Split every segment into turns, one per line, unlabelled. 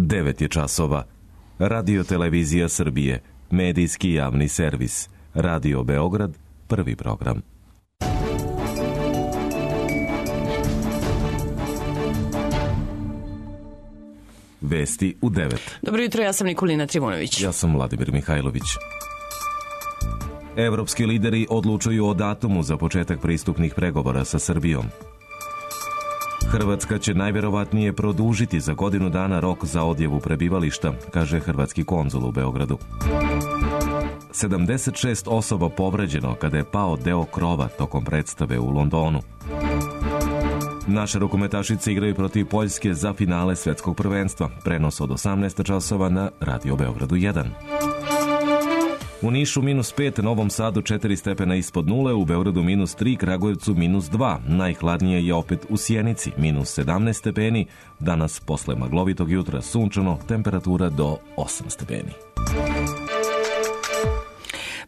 9 je časova. Radio Televizija Srbije, medijski javni servis. Radio Beograd, prvi program. Vesti u 9.
Dobro jutro, ja sam Nikolina Trivunović.
Ja sam Vladimir Mihajlović. Evropski lideri odlučuju o datumu za početak pristupnih pregovora sa Srbijom. Hrvatska će najvjerovatnije produžiti za godinu dana rok za odjavu prebivališta, kaže hrvatski konzul u Beogradu. 76 osoba povređeno kada je pao deo krova tokom predstave u Londonu. Naše rukometašice igraju protiv Poljske za finale svetskog prvenstva. Prenos od 18 časova na Radio Beogradu 1. U Nišu -5, Novom Sadu 4 stepena ispod nule, u Beogradu -3, Kragujevcu -2. Najhladnije je opet u Sjenici, -17 stepeni. Danas, posle maglovitog jutra, sunčano, temperatura do 8 stepeni.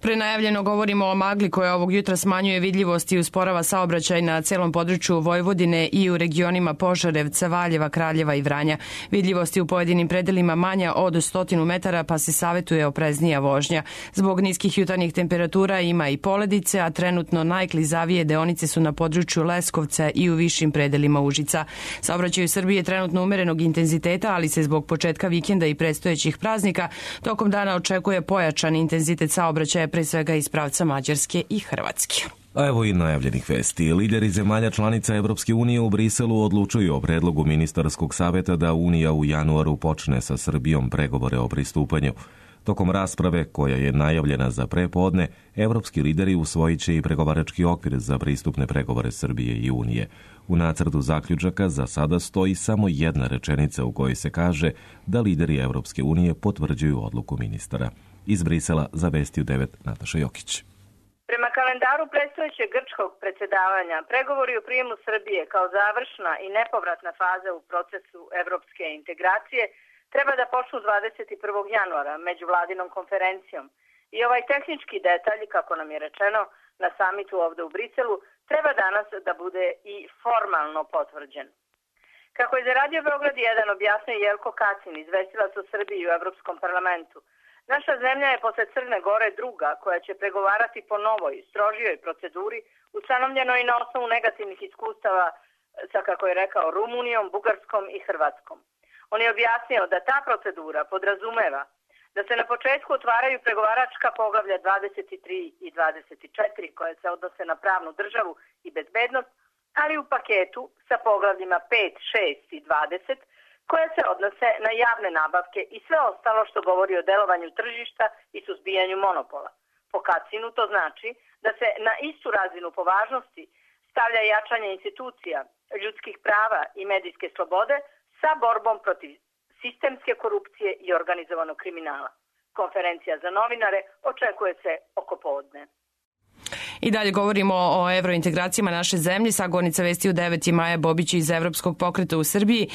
Prenajavljeno govorimo o magli koja ovog jutra smanjuje vidljivost i usporava saobraćaj na celom području Vojvodine i u regionima Požarevca, Valjeva, Kraljeva i Vranja. Vidljivost je u pojedinim predelima manja od 100 metara, pa se savetuje opreznija vožnja. Zbog niskih jutarnjih temperatura ima i poledice, a trenutno najklizavije deonice su na području Leskovca i u višim predelima Užica. Saobraćaj u Srbiji je trenutno umerenog intenziteta, ali se zbog početka vikenda i predstojećih praznika tokom dana očekuje pojačan intenzitet saobraćaja, pre svega iz pravca Mađarske i Hrvatske.
A evo i najavljenih vesti. Lideri zemalja članica Evropske unije u Briselu odlučuju o predlogu ministarskog saveta da Unija u januaru počne sa Srbijom pregovore o pristupanju. Tokom rasprave, koja je najavljena za prepodne, evropski lideri usvojit će i pregovarački okvir za pristupne pregovore Srbije i Unije. U nacrtu zaključaka za sada stoji samo jedna rečenica u kojoj se kaže da lideri Evropske unije potvrđuju odluku ministara. Iz Brisela za Vesti u 9 Nataša Jokić.
Prema kalendaru predstojećeg grčkog predsjedavanja, pregovori o prijemu Srbije kao završna i nepovratna faza u procesu evropske integracije treba da počnu 21. januara međuvladinom konferencijom. I ovaj tehnički detalj, kako nam je rečeno na samitu ovde u Briselu, treba danas da bude i formalno potvrđen. Kako je za Radio Beograd 1 objasnio Jelko Kacin, izvestilac o Srbiji u Evropskom parlamentu, naša zemlja je posle Crne Gore druga koja će pregovarati po novoj, strožijoj proceduri, ustanovljenoj na osnovu negativnih iskustava sa, kako je rekao, Rumunijom, Bugarskom i Hrvatskom. On je objasnio da ta procedura podrazumeva da se na početku otvaraju pregovaračka poglavlja 23 i 24 koje se odnose na pravnu državu i bezbednost, ali u paketu sa poglavljima 5, 6 i 20 koje se odnose na javne nabavke i sve ostalo što govori o delovanju tržišta i suzbijanju monopola. Po Kacinu to znači da se na istu razinu po važnosti stavlja jačanje institucija, ljudskih prava i medijske slobode sa borbom protiv sistemske korupcije i organizovanog kriminala. Konferencija za novinare očekuje se oko podne.
I dalje govorimo o evrointegracijama naše zemlje. Sagovornica Vesti u 9 je Maja Bobić iz Evropskog pokreta u Srbiji.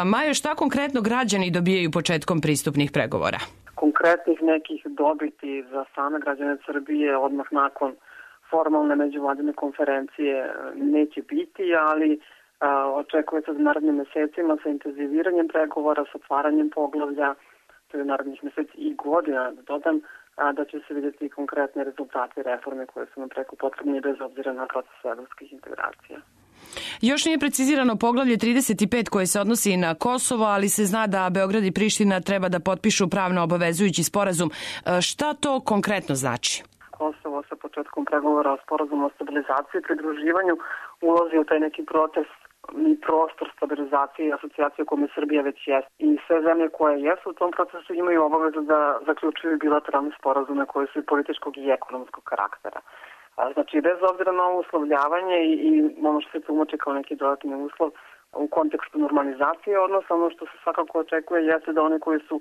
Maja, šta konkretno građani dobijaju početkom pristupnih pregovora?
Konkretnih nekih dobiti za same građane Srbije odmah nakon formalne međuvladine konferencije neće biti, ali očekuje se za narednim mesecima sa intenziviranjem pregovora, sa otvaranjem poglavlja, to je narednih meseci i godina, da dodam, da će se vidjeti konkretne rezultate reforme koje su nam preko potrebne bez obzira na proces evropskih integracija.
Još nije precizirano poglavlje 35 koje se odnosi na Kosovo, ali se zna da Beograd i Priština treba da potpišu pravno obavezujući sporazum. Šta to konkretno znači?
Kosovo sa početkom pregovora o sporazumu o stabilizaciji i pridruživanju ulazi u taj neki proces i prostor stabilizacije i asocijacije u kome Srbija već jest. I sve zemlje koje jesu u tom procesu imaju obavezu da zaključuju bilateralne sporazume koje su i političkog i ekonomskog karaktera. Znači, bez obzira na ovo uslovljavanje i ono što se tumači kao neki dodatni uslov u kontekstu normalizacije odnosa, ono što se svakako očekuje jeste da one koji su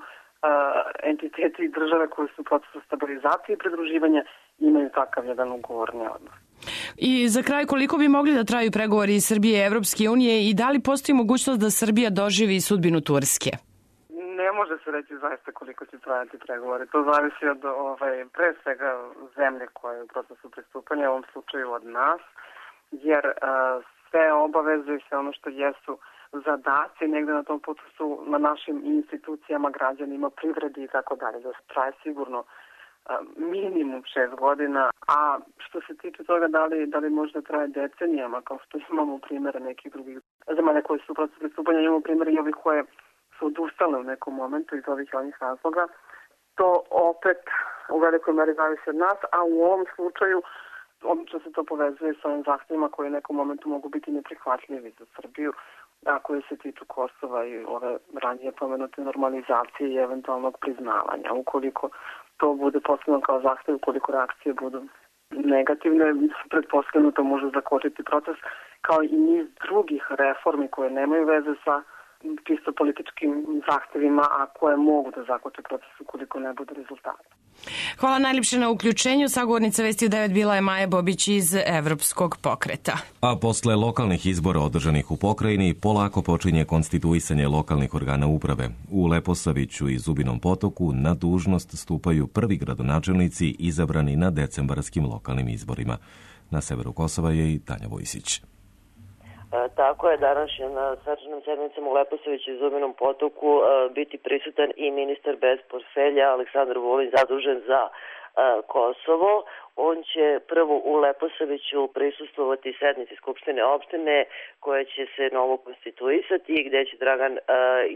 entiteti i države koje su u procesu stabilizacije i pridruživanja imaju takav jedan ugovorni odnos.
I za kraj, koliko bi mogli da traju pregovori Srbije i Evropske unije i da li postoji mogućnost da Srbija doživi sudbinu Turske?
Ne može se reći zaista koliko će trajati pregovori. To zavisi od pre svega zemlje koje je u procesu pristupanja, u ovom slučaju od nas, jer sve obaveze i sve ono što jesu zadaci negde na tom putu su na našim institucijama, građanima, privredi i tako dalje. Da se traje sigurno minimum 6 godina, a što se tiče toga da li možda traje decenijama, kao što imamo primjere nekih drugih zemalja koji su u procesu pristupanja, imamo primjere i ovih koje su odustale u nekom momentu iz ovih razloga. To opet u velikoj meri zavisi od nas, a u ovom slučaju obično se to povezuje sa ovim zahtjevima koji u nekom momentu mogu biti neprihvatljivi za Srbiju, a koji se tiču Kosova i ove ranije pomenute normalizacije i eventualnog priznavanja. Ukoliko to bude postavljeno kao zahtjev, ukoliko reakcije budu negativne, pretpostavljeno to može zakočiti proces, kao i niz drugih reformi koje nemaju veze sa čisto političkim zahtjevima, a koje mogu da zakoče proces ukoliko ne bude rezultata.
Hvala najljepše na uključenju. Sagovornica Vesti u 9 bila je Maja Bobić iz Evropskog pokreta.
A posle lokalnih izbora održanih u pokrajini, polako počinje konstituisanje lokalnih organa uprave. U Leposaviću i Zubinom Potoku na dužnost stupaju prvi gradonačelnici izabrani na decembarskim lokalnim izborima. Na severu Kosova je i Tanja Vojsić.
Tako je, danas će na svečanim sednicama u Leposaviću i Zubinom Potoku biti prisutan i ministar bez portfelja Aleksandar Vulin, zadužen za Kosovo. On će prvo u Leposaviću prisustvovati sednici Skupštine opštine koja će se novo konstituisati i gde će Dragan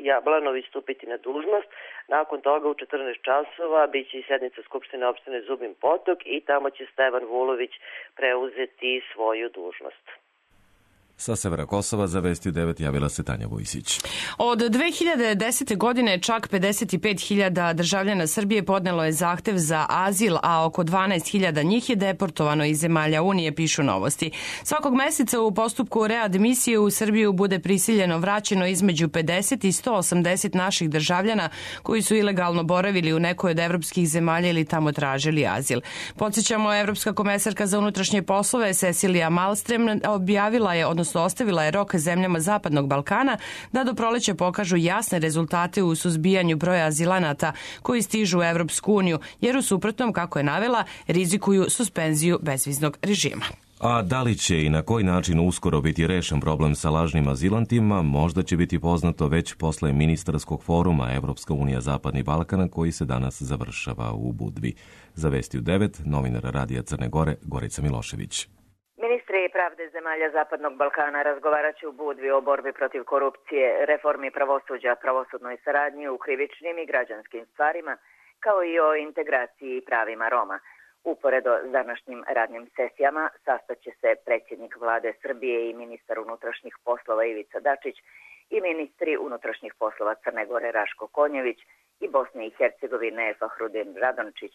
Jablanović stupiti na dužnost. Nakon toga u 14 časova biće i sednica Skupštine opštine Zubin Potok i tamo će Stevan Vulović preuzeti svoju dužnost.
Sa severa Kosova za Vesti 9 javila se Tanja Vojsić.
Od 2010. godine čak 55.000 državljana Srbije podnelo je zahtev za azil, a oko 12.000 njih je deportovano iz zemalja Unije, pišu Novosti. Svakog meseca u postupku readmisije u Srbiju bude prisiljeno vraćeno između 50 i 180 naših državljana koji su ilegalno boravili u nekoj od evropskih zemalja ili tamo tražili azil. Podsjećamo, Evropska komesarka za unutrašnje poslove Cecilija Malmström objavila je, ostavila je rok zemljama Zapadnog Balkana da do proleća pokažu jasne rezultate u suzbijanju broja azilanata koji stižu u Evropsku uniju, jer u suprotnom, kako je navela, rizikuju suspenziju bezviznog režima.
A da li će i na koji način uskoro biti rešen problem sa lažnim azilantima, možda će biti poznato već posle ministarskog foruma Evropska unija Zapadni Balkan koji se danas završava u Budvi. Za Vesti u 9, novinar Radija Crne Gore, Gorica Milošević.
Ministri pravde zemalja Zapadnog Balkana razgovarat će u Budvi o borbi protiv korupcije, reformi pravosuđa, pravosudnoj saradnji u krivičnim i građanskim stvarima, kao i o integraciji i pravima Roma. Uporedo s današnjim radnim sesijama sastaće se predsjednik vlade Srbije i ministar unutrašnjih poslova Ivica Dačić i ministri unutrašnjih poslova Crne Gore Raško Konjević i Bosne i Hercegovine Fahrudin Radončić.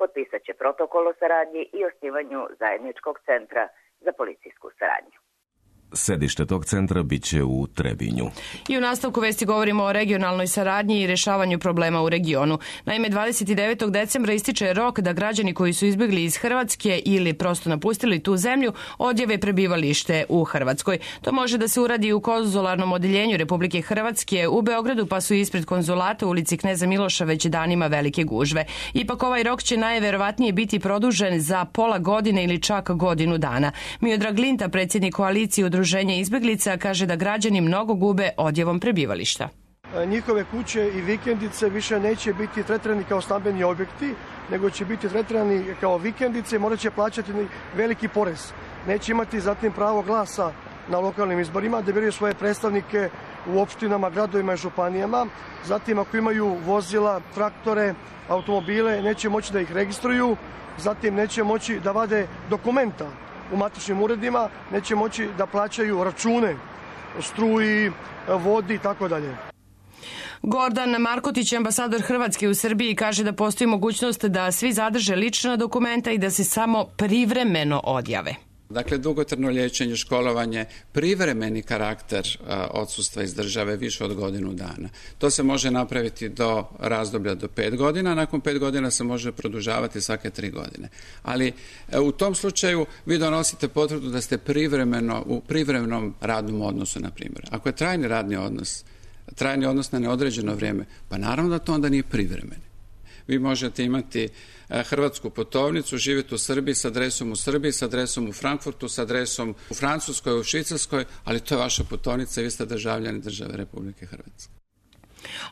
Potpisat će protokol o saradnji i osnivanju zajedničkog centra za policijsku saradnju.
Sedište tog centra biće u Trebinju.
I u nastavku Vesti govorimo o regionalnoj saradnji i rešavanju problema u regionu. Naime, 29. decembra ističe rok da građani koji su izbjegli iz Hrvatske ili prosto napustili tu zemlju odjave prebivalište u Hrvatskoj. To može da se uradi u konzularnom odeljenju Republike Hrvatske u Beogradu, pa su ispred konzulata u ulici Kneza Miloša već danima velike gužve. Ipak ovaj rok će najverovatnije biti produžen za pola godine ili čak godinu dana. Miodrag Linta, predsjednik koalicije Udruženje izbjeglica, kaže da građani mnogo gube odjevom prebivališta.
Njihove kuće i vikendice više neće biti tretirani kao stambeni objekti, nego će biti tretirani kao vikendice i morat će plaćati veliki porez. Neće imati zatim pravo glasa na lokalnim izborima, da biraju svoje predstavnike u opštinama, gradovima i županijama. Zatim, ako imaju vozila, traktore, automobile, neće moći da ih registruju. Zatim, neće moći da vade dokumenta u matičnim uredima, neće moći da plaćaju račune struji, vodi i tako dalje.
Gordan Markotić, ambasador Hrvatske u Srbiji, kaže da postoji mogućnost da svi zadrže lična dokumenta i da se samo privremeno odjave.
Dakle, dugotrajno liječenje, školovanje, privremeni karakter odsustva iz države više od godinu dana. To se može napraviti do razdoblja do 5 godina, nakon 5 godina se može produžavati svake 3 godine. Ali u tom slučaju vi donosite potvrdu da ste privremeno u privremenom radnom odnosu, na primjer. Ako je trajni radni odnos na neodređeno vrijeme, pa naravno da to onda nije privremeni. Vi možete imati hrvatsku putovnicu, živjeti u Srbiji s adresom u Srbiji, s adresom u Frankfurtu, s adresom u Francuskoj, u Švicarskoj, ali to je vaša putovnica i vi ste državljani države Republike Hrvatske.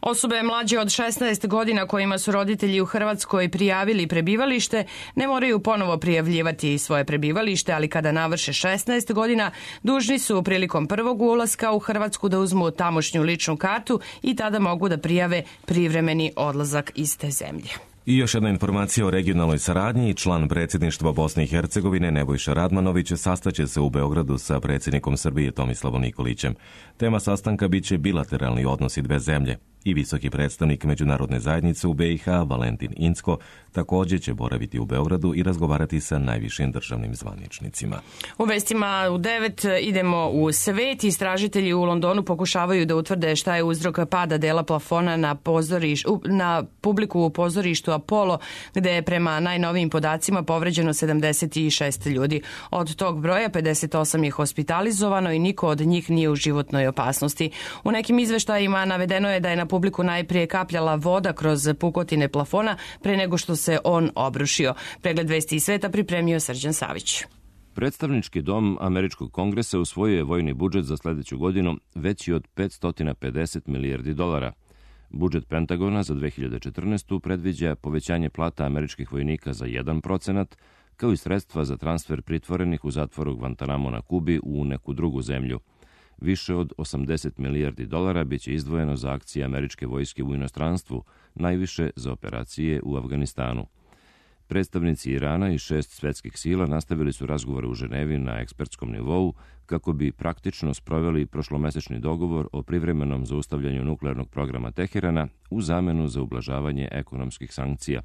Osobe mlađe od 16 godina kojima su roditelji u Hrvatskoj prijavili prebivalište ne moraju ponovo prijavljivati svoje prebivalište, ali kada navrše 16 godina dužni su prilikom prvog ulaska u Hrvatsku da uzmu tamošnju ličnu kartu i tada mogu da prijave privremeni odlazak iz te zemlje.
I još jedna informacija o regionalnoj saradnji. Član predsjedništva Bosne i Hercegovine Nebojša Radmanović sastaće se u Beogradu sa predsjednikom Srbije Tomislavom Nikolićem. Tema sastanka biće bilateralni odnosi dve zemlje. I visoki predstavnik međunarodne zajednice u BiH, Valentin Incko, također će boraviti u Beogradu i razgovarati sa najvišim državnim zvaničnicima.
U vestima u 9 idemo u svet. Istražitelji u Londonu pokušavaju da utvrde šta je uzrok pada dela plafona na publiku u pozorištu Apollo, gde je prema najnovijim podacima povređeno 76 ljudi. Od tog broja 58 je hospitalizovano i niko od njih nije u životnoj opasnosti. U nekim izveštajima navedeno je da je na publiku najprije kapljala voda kroz pukotine plafona pre nego što se on obrušio. Pregled vesti iz sveta pripremio Srđan Savić.
Predstavnički dom Američkog kongresa usvojio je vojni budžet za sljedeću godinu veći od $550 milijardi. Budžet Pentagona za 2014. predviđa povećanje plata američkih vojnika za 1%, kao i sredstva za transfer pritvorenih u zatvoru Guantanamo na Kubi u neku drugu zemlju. Više od $80 milijardi biće izdvojeno za akcije američke vojske u inostranstvu, najviše za operacije u Afganistanu. Predstavnici Irana i 6 svjetskih sila nastavili su razgovore u Ženevi na ekspertskom nivou kako bi praktično sproveli prošlomesečni dogovor o privremenom zaustavljanju nuklearnog programa Teherana u zamenu za ublažavanje ekonomskih sankcija.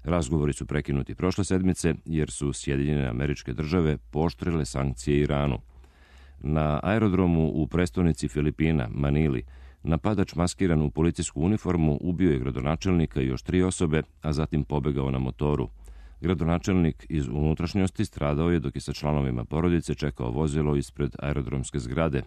Razgovori su prekinuti prošle sedmice jer su Sjedinjene Američke Države pooštrile sankcije Iranu. Na aerodromu u prestonici Filipina, Manili, napadač maskiran u policijsku uniformu ubio je gradonačelnika i još 3 osobe, a zatim pobegao na motoru. Gradonačelnik iz unutrašnjosti stradao je dok je sa članovima porodice čekao vozilo ispred aerodromske zgrade.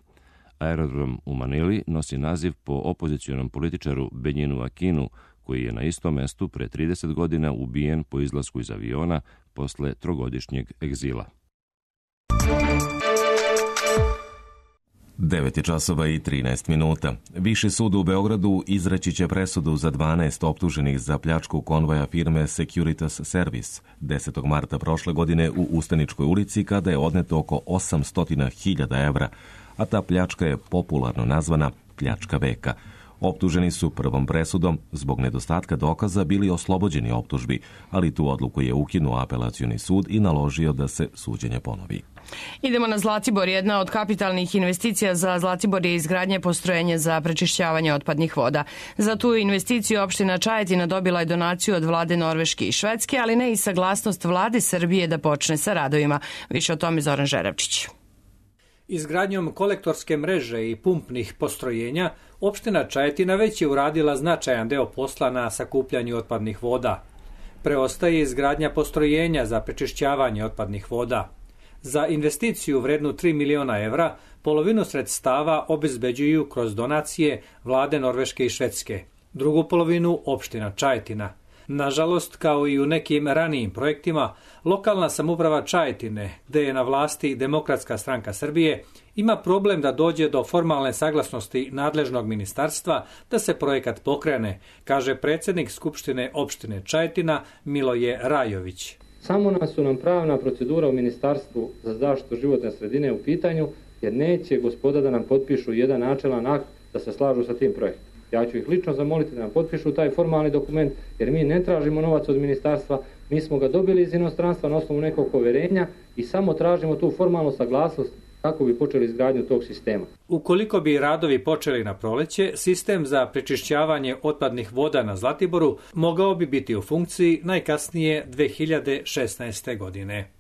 Aerodrom u Manili nosi naziv po opozicionom političaru Benjinu Akinu, koji je na istom mestu pre 30 godina ubijen po izlasku iz aviona posle 3-godišnjeg egzila.
9:13. Viši sud u Beogradu izreći će presudu za 12 optuženih za pljačku konvoja firme Securitas Service 10. marta prošle godine u Ustaničkoj ulici kada je odneto oko 800.000 evra, a ta pljačka je popularno nazvana pljačka veka. Optuženi su prvom presudom zbog nedostatka dokaza bili oslobođeni optužbi, ali tu odluku je ukinuo apelacioni sud i naložio da se suđenje ponovi.
Idemo na Zlatibor. Jedna od kapitalnih investicija za Zlatibor je izgradnje postrojenja za prečišćavanje otpadnih voda. Za tu investiciju opština Čajetina dobila je donaciju od vlade Norveške i Švedske, ali ne i saglasnost vlade Srbije da počne sa radovima. Više o tome Zoran Žeravčić.
Izgradnjom kolektorske mreže i pumpnih postrojenja, opština Čajetina već je uradila značajan deo posla na sakupljanju otpadnih voda. Preostaje izgradnja postrojenja za prečišćavanje otpadnih voda. Za investiciju vrednu 3 miliona evra, polovinu sredstava obezbeđuju kroz donacije vlade Norveške i Švedske. Drugu polovinu opština Čajetina. Nažalost, kao i u nekim ranijim projektima, lokalna samouprava Čajetine, gde je na vlasti Demokratska stranka Srbije, ima problem da dođe do formalne saglasnosti nadležnog ministarstva da se projekat pokrene, kaže predsjednik Skupštine opštine Čajetina Miloje Rajović.
Samo nas su nam pravna procedura u Ministarstvu za zaštitu životne sredine u pitanju, jer neće gospoda da nam potpišu jedan načelan akt da se slažu sa tim projektom. Ja ću ih lično zamoliti da nam potpišu taj formalni dokument, jer mi ne tražimo novac od ministarstva, mi smo ga dobili iz inostranstva na osnovu nekog poverenja i samo tražimo tu formalnu saglasnost kako bi počeli izgradnju tog sistema.
Ukoliko bi radovi počeli na proleće, sistem za prečišćavanje otpadnih voda na Zlatiboru mogao bi biti u funkciji najkasnije 2016. godine.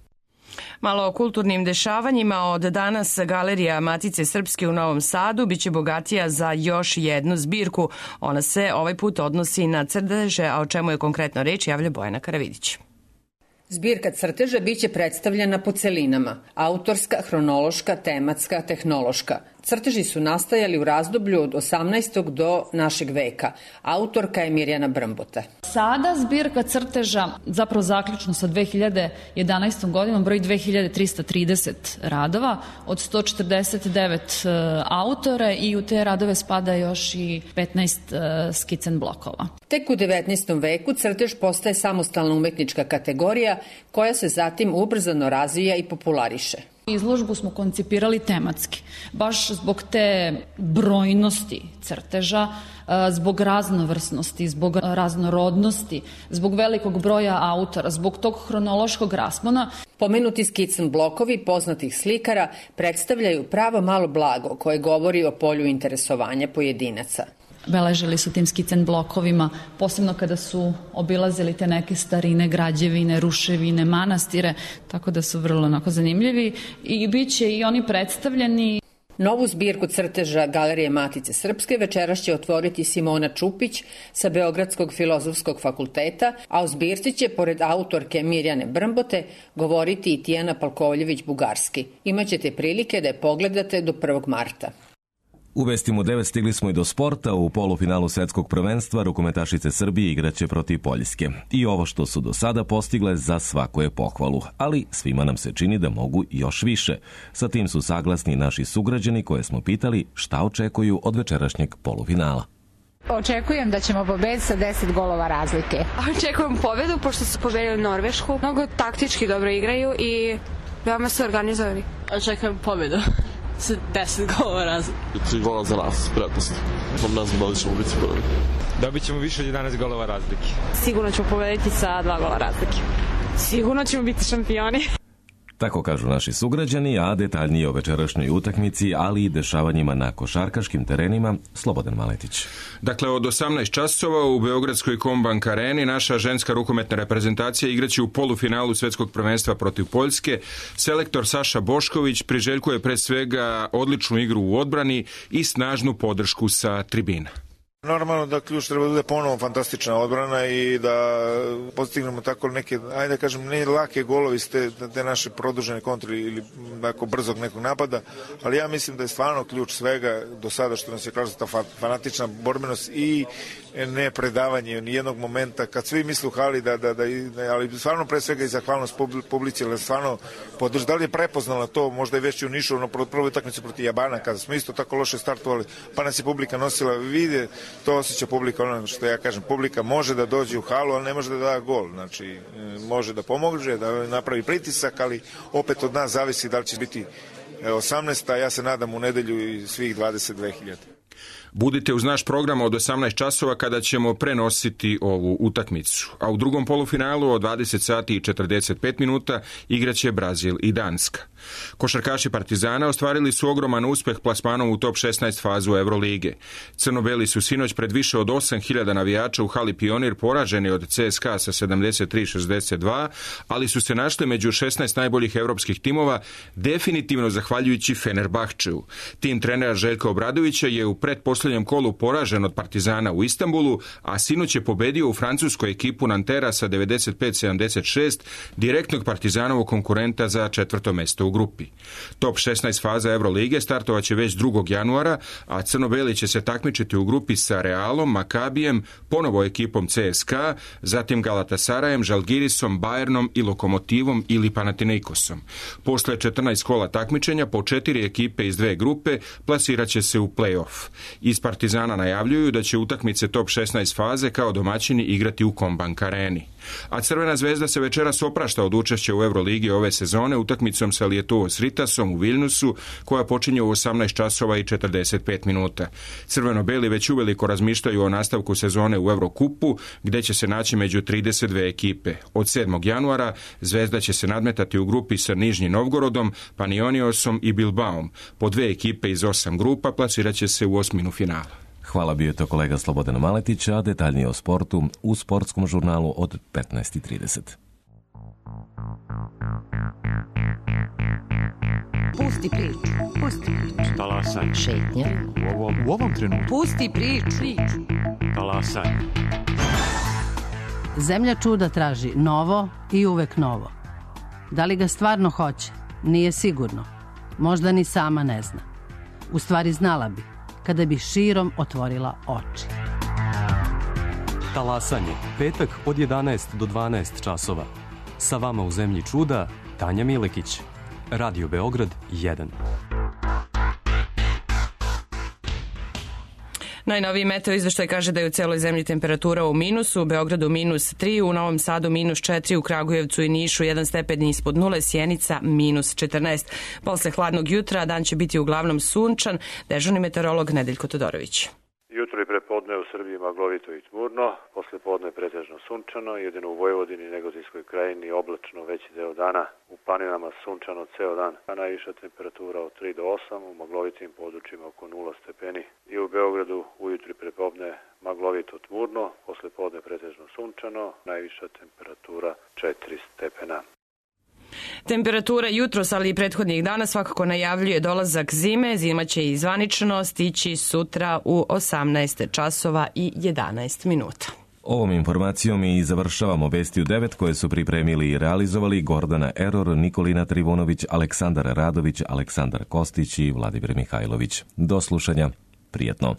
Malo o kulturnim dešavanjima. Od danas Galerija Matice Srpske u Novom Sadu biće bogatija za još jednu zbirku. Ona se ovaj put odnosi na crteže, a o čemu je konkretno reč javlja Bojana Karavidić.
Zbirka crteža biće predstavljena po celinama. Autorska, hronološka, tematska, tehnološka. Crteži su nastajali u razdoblju od 18. do našeg veka. Autorka je Mirjana Brmbota.
Sada zbirka crteža, zapravo zaključno sa 2011. godinom, broji 2330 radova od 149 autore i u te radove spada još i 15 skicen blokova.
Tek u 19. veku crtež postaje samostalna umetnička kategorija koja se zatim ubrzano razvija i populariše.
Izložbu smo koncipirali tematski, baš zbog te brojnosti crteža, zbog raznovrsnosti, zbog raznorodnosti, zbog velikog broja autora, zbog tog hronološkog raspona.
Pomenuti skicen blokovi poznatih slikara predstavljaju pravo malo blago koje govori o polju interesovanja pojedinaca.
Beležili su tim skicen blokovima, posebno kada su obilazili te neke starine, građevine, ruševine, manastire, tako da su vrlo onako zanimljivi i bit će i oni predstavljeni.
Novu zbirku crteža Galerije Matice Srpske večeras će otvoriti Simona Čupić sa Beogradskog filozofskog fakulteta, a o zbirci će, pored autorke Mirjane Brmbote, govoriti i Tijana Palkovljević-Bugarski. Imaćete prilike da je pogledate do 1. marta.
U vestima u 9 stigli smo i do sporta. U polufinalu svetskog prvenstva rukometašice Srbije igraće protiv Poljske. I ovo što su do sada postigle za svaku je pohvalu, ali svima nam se čini da mogu još više. Sa tim su saglasni naši sugrađani koje smo pitali šta očekuju od večerašnjeg polufinala.
Očekujem da ćemo pobediti sa 10 golova razlike.
Očekujem pobedu pošto su pobedili Norvešku. Mnogo taktički dobro igraju i veoma su organizovani.
Očekujem pobedu. 10 golova razlike.
3 gola za nas, pretpostavljam. Ne znam da li ćemo biti prvi.
Dobit ćemo više od 11 golova razlike.
Sigurno ćemo pobediti sa 2 gola razlike. Sigurno ćemo biti šampioni.
Tako kažu naši sugrađani, a detaljnije o večerašnjoj utakmici, ali i dešavanjima na košarkaškim terenima, Slobodan Maletić.
Dakle, od 18 časova u Beogradskoj Kombank areni naša ženska rukometna reprezentacija igraće u polufinalu svetskog prvenstva protiv Poljske. Selektor Saša Bošković priželjkuje pre svega odličnu igru u odbrani i snažnu podršku sa tribina.
Normalno da ključ treba da bude ponovo fantastična odbrana i da postignemo tako neke, ajde da kažem, ne lake golovi iz te naše produžene kontre ili tako brzog nekog napada, ali ja mislim da je stvarno ključ svega do sada što nas je kažu ta fanatična borbenost i ne predavanje nijednog momenta kad svi misle u hali ali stvarno pre svega i zahvalnost publici, ali stvarno podrži. Da li je prepoznala to, možda je već u Nišu na prvoj utakmici protiv Jabana kada smo isto tako loše startovali, pa nas je publika nosila, vide, to osjeća publika, ono što ja kažem, publika može da dođe u halu, ali ne može da da gol, znači može da pomogne, da napravi pritisak, ali opet od nas zavisi da li će biti 18, a ja se nadam u nedelju i svih 22.000.
Budite uz naš program od 18 časova kada ćemo prenositi ovu utakmicu. A u drugom polufinalu od 20 sati i 45 minuta igraće Brazil i Danska. Košarkaši Partizana ostvarili su ogroman uspeh plasmanom u top 16 fazu Evrolige. Crno-beli su sinoć pred više od 8.000 navijača u hali Pionir poraženi od CSKA sa 73-62, ali su se našli među 16 najboljih evropskih timova, definitivno zahvaljujući Fenerbahčeu. Tim trenera Željka Obradovića je u pretposljednjem kolu poražen od Partizana u Istanbulu, a sinoć je pobedio u francuskoj ekipu Nantera sa 95-76, direktnog Partizanovog konkurenta za 4. mesto u grupi. Top 16 faza Evrolige startovaće već 2. januara, a crno-beli će se takmičiti u grupi sa Realom, Makabijem, ponovo ekipom CSKA, zatim Galatasarajem, Žalgirisom, Bayernom i Lokomotivom ili Panathinaikosom. Posle 14 kola takmičenja po 4 ekipe iz 2 grupe plasirat će se u play-off. Iz Partizana najavljuju da će utakmice top 16 faze kao domaćini igrati u Kombank areni. A Crvena zvezda se večeras oprašta od učešća u Euroligi ove sezone utakmicom sa Lietuvos Ritasom u Vilnusu, koja počinje u 18 časova i 45 minuta. Crveno-beli već uveliko razmišljaju o nastavku sezone u Eurokupu, gde će se naći među 32 ekipe. Od 7. januara Zvezda će se nadmetati u grupi sa Nižnjim Novgorodom, Panionijosom i Bilbaom. Po 2 ekipe iz 8 grupa plasirat će se u osminu finala.
Hvala, bio je to kolega Slobodan Maletić, a detaljnije o sportu u sportskom žurnalu od 15:30.
Pusti priču.
Talasaj.
Šetnja.
U ovom trenutku.
Pusti priču.
Talasaj.
Zemlja čuda traži novo i uvek novo. Da li ga stvarno hoće? Nije sigurno. Možda ni sama ne zna. U stvari znala bi, kada bi širom otvorila oči.
Talasanje, petak od 11 do 12 časova. Sa vama u Zemlji čuda, Tanja Milekić. Radio Beograd 1.
Najnoviji meteo izveštaj kaže da je u celoj zemlji temperatura u minusu, u Beogradu -3, u Novom Sadu -4, u Kragujevcu i Nišu 1 stepen ispod nule, Sjenica -14. Posle hladnog jutra dan će biti uglavnom sunčan, dežurni meteorolog Nedeljko Todorović.
Jutro i prepodne u Srbiji maglovito i tmurno, posle podne pretežno sunčano, jedino u Vojvodini i Negotinskoj krajini oblačno veći deo dana, u planinama sunčano ceo dan, a najviša temperatura od 3 do 8, u maglovitim područjima oko 0 stepeni. I u Beogradu ujutro i prepodne maglovito tmurno, posle podne pretežno sunčano, najviša temperatura 4 stepena.
Temperatura jutros, ali i prethodnih dana svakako najavljuje dolazak zime. Zima će i zvanično stići sutra u 18 časova i 11 minuta.
Ovom informacijom i završavamo Vesti u 9 koje su pripremili i realizovali Gordana Eror, Nikolina Trivunović, Aleksandar Radović, Aleksandar Kostić i Vladimir Mihajlović. Do slušanja. Prijetno.